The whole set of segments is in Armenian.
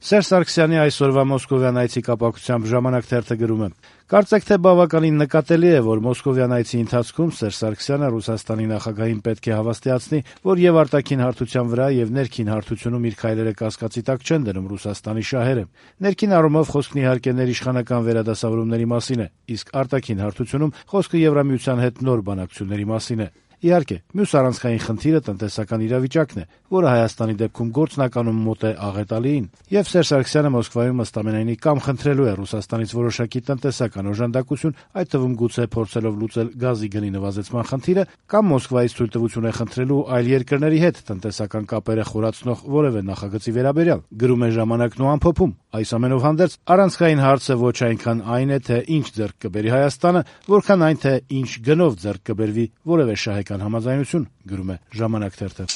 Սերժ Սարգսյանի այսօրվա Մոսկովյան այցի կապակցությամբ «Ժամանակ» թերթը գրում է. «Կարծեք թե բավականին նկատելի է, որ Մոսկովյան այցի ընթացքում Սերժ Սարգսյանը Ռուսաստանի նախագահին պետք է հավաստիացնի, որ եւ արտաքին հարթության վրա եւ ներքին հարթությունում իր քայլերը կասկածի տակ չեն դնում Ռուսաստանի շահերը։ Ներքին առումով խոսքն իհարկե ներիշխանական վերադասավորումների մասին է, իսկ արտաքին հարթությունում խոսքը Եվրամիության հետ նոր բանակցությունների մասին է։ Իհարկե, մյուս առանցքային խնդիրը տնտեսական իրավիճակն է, որը Հայաստանի դեպքում գործնականում մոտ է աղետալիին, եւ Սերժ Սարգսյանը Մոսկվայում ըստ ամենայնի կամ խնդրելու է Ռուսաստանից որոշակի տնտեսական օժանդակություն, այդ թվում գուցե փորձելով լուծել գազի գնի նվազեցման խնդիրը, կամ Մոսկվայից թույլտվություն է խնդրելու այլ երկրների հետ տնտեսական կապերը խորացնող որևէ նախագծի վերաբերյալ», գրում է «Ժամանակն» ու ամփոփում. «Այս ամենով հանդերձ առանցքային հարցը ոչ այնքան այն է, թե ինչ ձեռք կբերի Հայաստանը, որքան այն, թե ինչ գնով ձեռք կբերվի որևէ շահեկան համաձայնություն», գրում է «Ժամանակ» թերթը։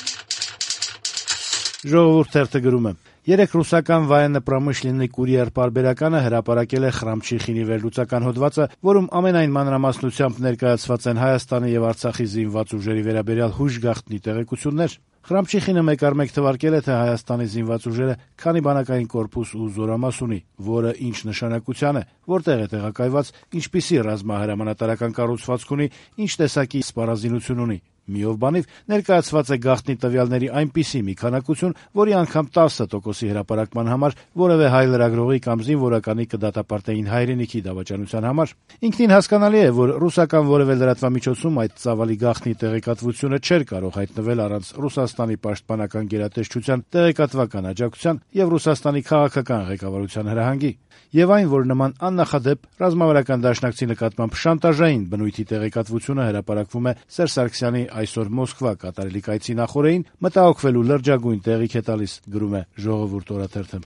«Ժողովուրդ» թերթը գրում է. «Երեկ ռուսական «Военно-промышленный курьер» պարբերականը հրապարակել է Խրամչիխինի վերլուծական հոդվածը, որում ամենայն մանրամասնությամբ ներկայացված են Հայաստանի եւ Արցախի զինված ուժերի վերաբերյալ հուժգաղտնի տեղեկություններ։ Խրամչիխինը մեկ առ մեկ թվարկել է, թե Հայաստանի զինված ուժերը քանի բանակային կորպուս ու զորամաս ունի, որը ինչ նշանակության է, որտեղ է տեղակայված, ինչպիսի ռազմահրամանատարական կառուցվածք ունի, ինչ տեսակի սպառազինություն ունի։ Միով բանիվ ներկայացված է գաղտնի տվյալների այնպիսի մի քանակություն, որի անգամ 10% հրապարակման համար որևէ հայ լրագրողի կամ զինվորականի կդատապարտեին հայրենիքի դավաճանության համար։ Ինքնին հասկանալի է, որ ռուսական որևէ լրատվամիջոցում այդ ծավալի գաղտնի տեղեկատվությունը չէր կարող հայտնվել առանց Ռուսաստանի պաշտպանական գերատեսչության տեղեկատվական աջակցության եւ Ռուսաստանի քաղաքական ղեկավարության հրահանգի։ Եվ այն, որ նման աննախադեպ ռազմավարական դաշնակցի նկատմամբ շանտաժային բնույթի տեղեկատվությունը հրապարակվում է Սերժ Սարգսյանի այսօր Մոսկվա կատարելիք այցի նախօրեին, մտահոգվելու լրջագույն տեղիք է տալիս», գրում է «Ժողովուրդ» օրաթերթը։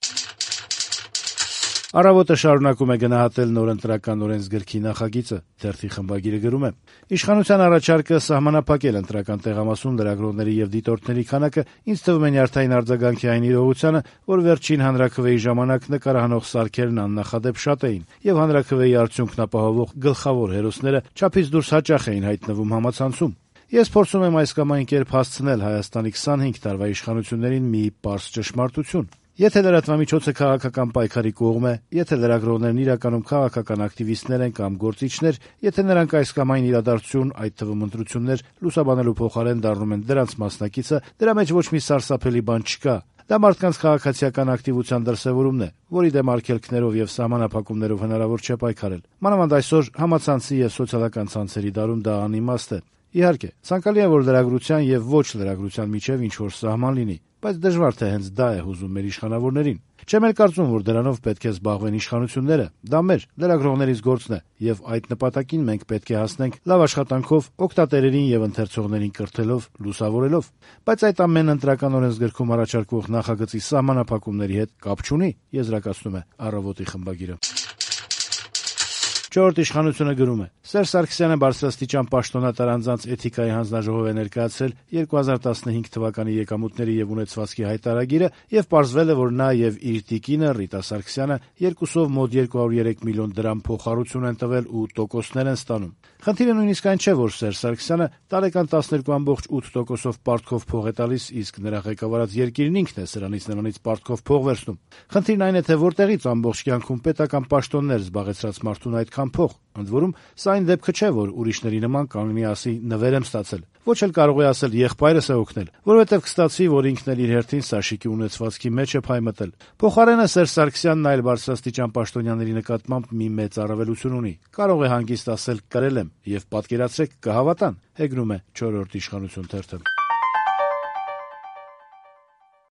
«Առավոտ»-ը շարունակում է գնահատել նոր ընտրական օրենսգրքի նախագիծը։ Թերթի խմբագիրը գրում է. «Իշխանության առաջարկը սահմանափակել ընտրական տեղամասում լրագրողների եւ դիտորդների քանակը ինձ թվում է նյարդային արձագանքի այն իրողությանը, որ վերջին հանրաքվեի ժամանակ նկարահանող սարքերն աննախադեպ շատ էին, եւ հանրաքվեի արդյունքն ապահովող գլխավոր հերոսները չափից դուրս հաճախ էին հայտնվում համացանցում։ Ես փորձում եմ այս կամ այն կերպ հասցնել Հայաստանի 25 տարվա իշխանություններին մի պարզ ճշմարտություն. եթե լրատվամիջոցը քաղաքական պայքարի կողմ է, եթե լրագրողներն իրականում քաղաքական ակտիվիստներ են կամ գործիչներ, եթե նրանք այս կամ այն իրադարձություն, այդ թվում ընտրություններ, լուսաբանելու փոխարեն դառնում են դրանց մասնակիցը, դրա մեջ ոչ մի սարսափելի բան չկա։ Դա մարդկանց քաղաքացիական ակտիվության դրսևորումն է, որի դեմ արգելքներով եւ սահմանափակումներով հնարավոր չէ պայքարել։ Մանավանդ այսօր համացանցի եւ սոցիալական ցանցերի դարում դա անիմաստ է։ Իհարկե, ցանկալի է, որ լրագրության եւ ոչ լրագրության միջեւ ինչ-որ սահման լինի, բայց դժվար թե հենց դա է հուզում մեր իշխանավորներին։ Չեմ էլ կարծում, որ դրանով պետք է զբաղվեն իշխանությունները։ Դա մեր լրագրողներից գործն է, եւ այդ նպատակին մենք պետք է հասնենք լավ աշխատանքով, օգտատերերին եւ ընթերցողներին կրթելով, լուսավորելով։ Բայց այդ ամեն ընտրական օրենսգրքում առաջարկվող նախագծի սահմանափակումների հետ կապ չունի, եզրակացնում է «Առավոտ»-ի խմբագիրը։ «Չորրորդ իշխանությունը» գրում է. «Սերժ Սարգսյանը բարձրաստիճան պաշտոնատար անձանց էթիկայի հանձնաժողով է ներկայացրել 2015 թվականի եկամուտների եւ ունեցվածքի հայտարարագիրը եւ պարզվել է, որ նա եւ իր տիկինը Ռիտա Սարգսյանը երկուսով մոտ 203 միլիոն դրամ փոխառություն են տվել ու տոկոսներ են ստանում։ Խնդիրը նույնիսկ այն չէ, որ Սերժ Սարգսյանը տարեկան 12.8%-ով պարտքով փող է տալիս, իսկ նրա ղեկավարած երկիրն ինքն է սրանից նրանից պարտքով փող վերցնում։ Խնդիրն այն է, թե որտեղից ամբողջ կյանքում պետական պաշտոններ զբաղեցրած մարդուն այդքան փող։ Ընդ որում, սա այն դեպքը չէ, որ ուրիշների նման կանգնի ասի նվեր եմ ստացել։ Ոչ էլ կարող է ասել եղբայրս է օգնել, որովհետև կստացվի, որ ինքն էլ իր հերթին Սաշիկի ունեցվածքի մեջ է փայմտել։ Փոխարենը Սերժ Սարգսյանն այլ բարձրաստիճան պաշտոնյաների նկատմամբ մի մեծ առավելություն ունի։ Կարող է հանգիստ ասել կրել եմ, եւ պատկերացրեք կհավատան, հեգնում է 4-րդ իշխանություն թերթը։